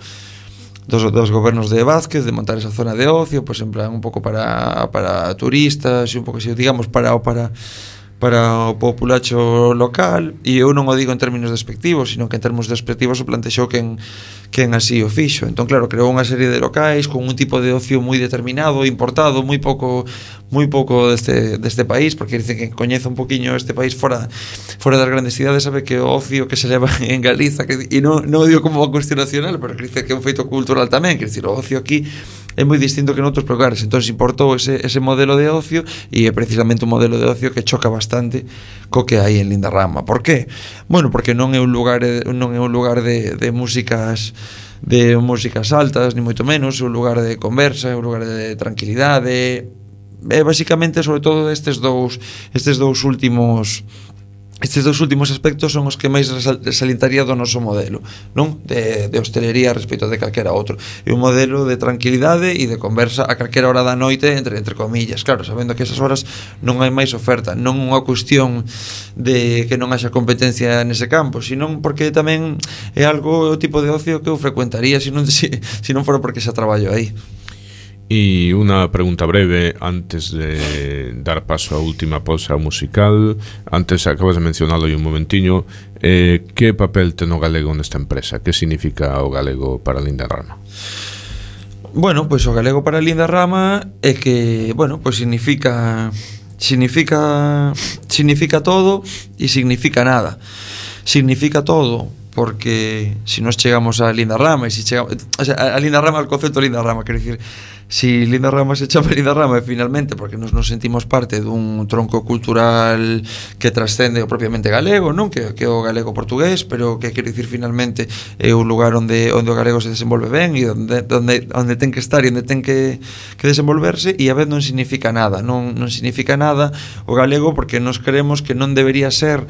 gobernos de Vázquez de montar esa zona de ocio, pois en plan un pouco para turistas e un pouco así, digamos, para o populacho local, e eu non o digo en términos despectivos, sino que en termos despectivos o plantexou quen así o fixo. Entón, claro, creou unha serie de locais con un tipo de ocio moi determinado, importado, moi pouco deste país, porque dicen que coñece un poquinho este país fora das grandes cidades, sabe que o ocio que se leva en Galiza, e non o digo como unha cuestión nacional, pero que dice que é un feito cultural tamén, quer dicir, o ocio aquí é moi distinto que noutros lugares. Entón se importou ese modelo de ocio, e é precisamente un modelo de ocio que choca bastante co que hai en Lindarrama. Por qué? Bueno, porque non é un lugar de músicas altas, ni moito menos, é un lugar de conversa, é un lugar de tranquilidade. Basicamente, sobre todo estes dous últimos aspectos son os que máis salientaría do noso modelo, non? De hostelería respecto de calquera outro. É un modelo de tranquilidade e de conversa a calquera hora da noite, entre comillas, claro, sabendo que esas horas non hai máis oferta, non unha cuestión de que non haxa competencia nese campo, senón porque tamén é algo, o tipo de ocio que eu frecuentaría se non fora porque xa traballo aí. E unha pregunta breve antes de dar paso á última pausa musical. Antes acabas de mencionalo aí un momentiño. Que papel ten o galego nesta empresa? Que significa o galego para Lindarrama? Bueno, pois o galego para Linda Rama é que, bueno, pois significa todo e significa nada. Significa todo porque si nos chegamos a Linda Rama e si chegamos, o sea, a Linda Rama, al concepto de Linda Rama, quero dicir, si Linda Rama se chama Linda Rama finalmente porque nos sentimos parte dun tronco cultural que trascende o propiamente galego, non? Que é o galego portugués, pero que quero dicir finalmente é un lugar onde o galego se desenvolve ben e onde ten que estar e onde ten que desenvolverse, e a vez non significa nada, non significa nada o galego porque nos creemos que non debería ser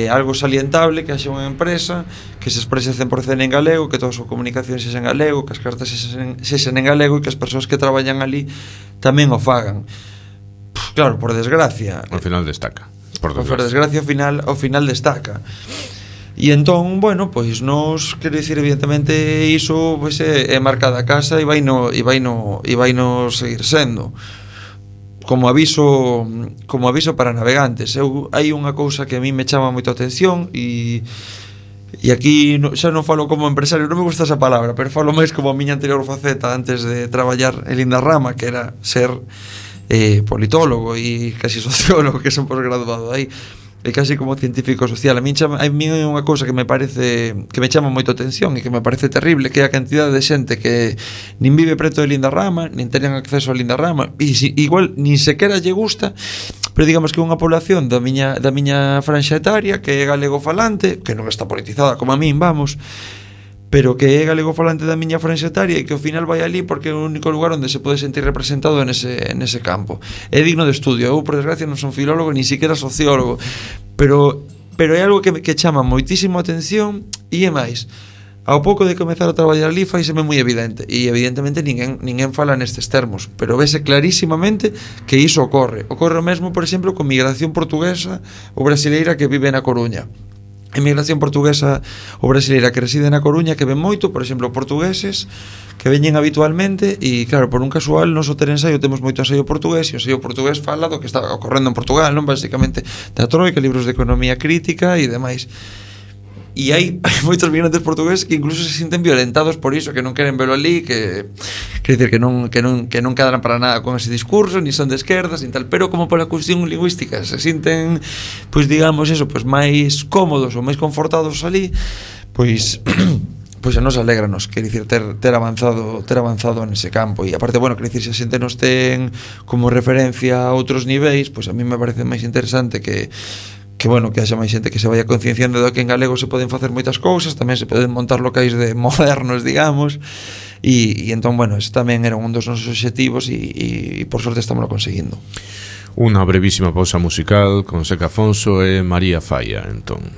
algo salientable que haxa unha empresa que se exprese 100% en galego, que toda a súa comunicación sexa en galego, que as cartas sexan en galego e que as persoas que traballan ali tamén o fagan. Claro, por desgracia. Ao final destaca. Por desgracia, ao final destaca. E entón, bueno, pois nos, quero dicir, evidentemente iso pois, é marca da casa e vaino seguir sendo. Como aviso para navegantes. Hai unha cousa que a mí me chama moito a atención e aquí xa non falo como empresario, non me gusta esa palabra, pero falo máis como a miña anterior faceta antes de traballar en Linda Rama, que era ser politólogo e casi sociólogo, que son posgraduado aí, e casi como científico social. A mí é unha cousa que me parece, que me chama moito a atención e que me parece terrible, que é a cantidade de xente que nin vive preto de Linda Rama, nin teñen acceso a Linda Rama, e igual nin sequera lle gusta, pero digamos que é unha población da miña franxa etaria que é galego falante, que non está politizada como a min, vamos, pero que é galego falante da miña franxa etaria e que ao final vai ali porque é o único lugar onde se pode sentir representado nese campo. É digno de estudio. Eu, por desgracia, non son filólogo, ni siquiera sociólogo, pero é algo que chama moitísimo a atención e é máis. Ao pouco de comezar a traballar ali faiseme moi evidente e evidentemente ninguén fala nestes termos, pero vese clarísimamente que iso ocorre o mesmo, por exemplo, con migración portuguesa ou brasileira que vive na Coruña. A migración portuguesa ou brasileira que reside na Coruña, que ven moito, por exemplo, portugueses que veñen habitualmente e, claro, por un casual, nos hotel ensaio temos moito ensaio portugués e o ensaio portugués fala do que está ocorrendo en Portugal, non? Basicamente, da troika, libros de economía crítica e demais. E hai moitos migrantes portugueses que incluso se sinten violentados por iso, que non queren verlo ali, que quer dizer que non cadran para nada con ese discurso, ni son de esquerdas, ni tal, pero como pola cuestión lingüística se sinten, pois digamos eso, pois máis cómodos ou máis confortados ali, pois a nos alégranos, quer dicir, ter avanzado nese campo. E aparte, bueno, quer dicir, se a xente nos ten como referencia a outros niveis, pois a mí me parece máis interesante que bueno, que haxa máis xente que se vaya concienciando de que en galego se poden facer moitas cousas, tamén se poden montar locais de modernos, digamos, e entón, bueno, ese tamén era un dos nosos obxectivos e por sorte estamos conseguindo. Unha brevísima pausa musical con Seca Afonso e María Falla, entón.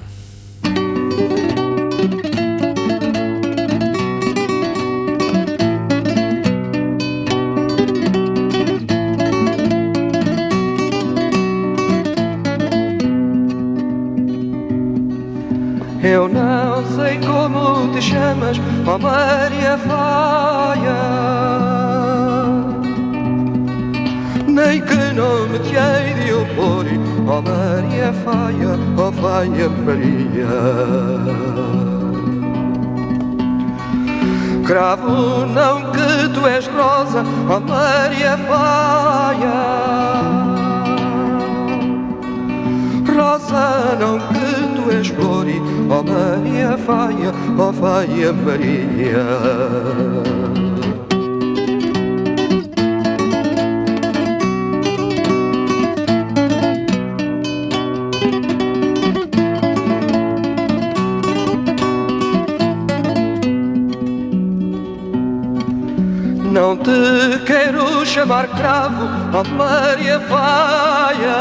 Eu não sei como te chamas, ó Maria Faia, nem que nome te hei de opor, ó Maria Faia, ó Faia Maria. Cravo não que tu és rosa, ó Maria Faia, rosa não que tu és flor, ó Maria Faia, ó Faia Maria. Não te quero chamar cravo, ó Maria Faia.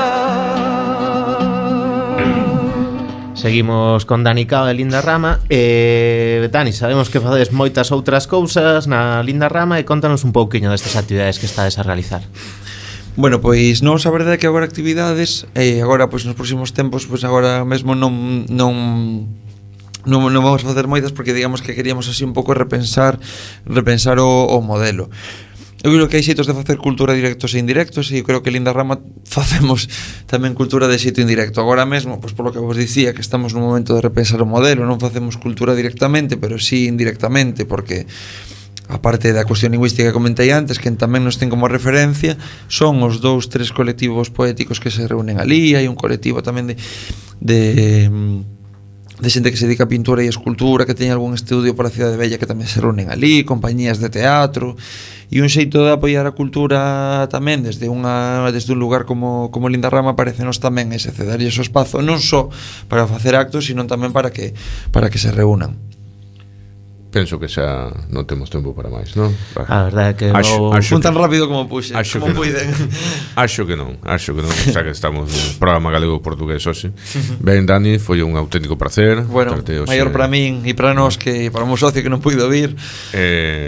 Seguimos con Dani Cao e Linda Rama. Dani, sabemos que facedes moitas outras cousas na Linda Rama e contanos un pouquiño destas actividades que estades a realizar. Bueno, pois non, a verdade é que agora actividades agora, pois nos próximos tempos, pois agora mesmo non vamos a facer moitas porque digamos que queríamos así un pouco repensar o modelo. Eu creo que hai xeitos de facer cultura directos e indirectos e eu creo que Linda Rama facemos tamén cultura de xeito indirecto. Agora mesmo, pois polo que vos dicía, que estamos nun momento de repensar o modelo, non facemos cultura directamente, pero sí indirectamente, porque a parte da cuestión lingüística que comentei antes, que tamén nos ten como referencia, son os 2-3 colectivos poéticos que se reúnen ali. Hai un colectivo tamén de xente que se dedica a pintura e escultura, que teña algún estudio por a Cidade Bella, que tamén se reúnen ali, compañías de teatro, e un xeito de apoiar a cultura tamén desde un lugar como Lindarrama. Parecenos tamén ese cedarlle o espazo non só para facer actos, sino tamén para que se reúnan. Penso que xa non temos tempo para máis, non? A verdade é que fun tan rápido como puxe, como puiden. Acho que non, xa que estamos no programa galego-portugués hoxe. Ben, Dani, foi un auténtico placer. Bueno, maior para min e para nós que para o meu socio que non puido vir.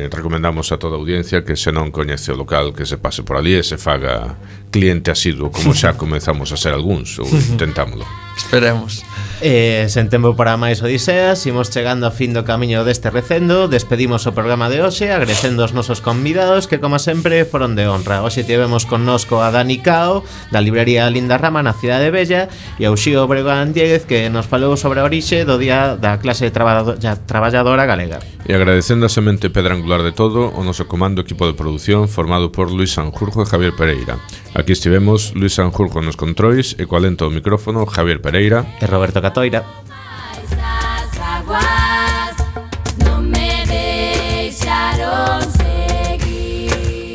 Recomendamos a toda a audiencia que se non coñece o local, que se pase por ali e se faga cliente asiduo, como xa comezamos a ser algúns, ou intentámoslo. Esperemos. Sen tempo para máis odiseas, imos chegando a fin do camiño deste recendo. Despedimos o programa de hoxe agradecendo os nosos convidados, que como sempre foron de honra. Hoxe tivemos connosco a Dani Cao, da librería Lindarrama na Cidade Bella, e a Uxío Breogán Diéguez, que nos falou sobre a orixe do día da clase traballadora galega. E agradecendo a semente pedra angular de todo, o noso comando equipo de produción formado por Luis Sanjurjo e Javier Pereira. Aquí estivemos Luis Sanjurjo nos controis e co alento do micrófono Javier Pereira e Roberto Catoira.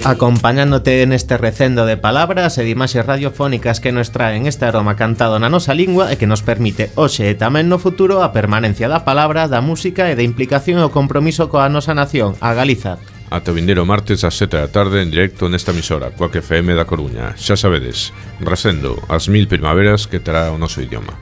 Acompañándote en este recendo de palabras e de imaxes radiofónicas que nos traen este aroma cantado na nosa lingua e que nos permite hoxe e tamén no futuro a permanencia da palabra, da música e da implicación e o compromiso coa nosa nación, a Galiza. Ata o vindeiro martes ás 7 da tarde en directo nesta emisora, Coac FM da Coruña. Xa sabedes, recendo as 1000 primaveras que terá o noso idioma.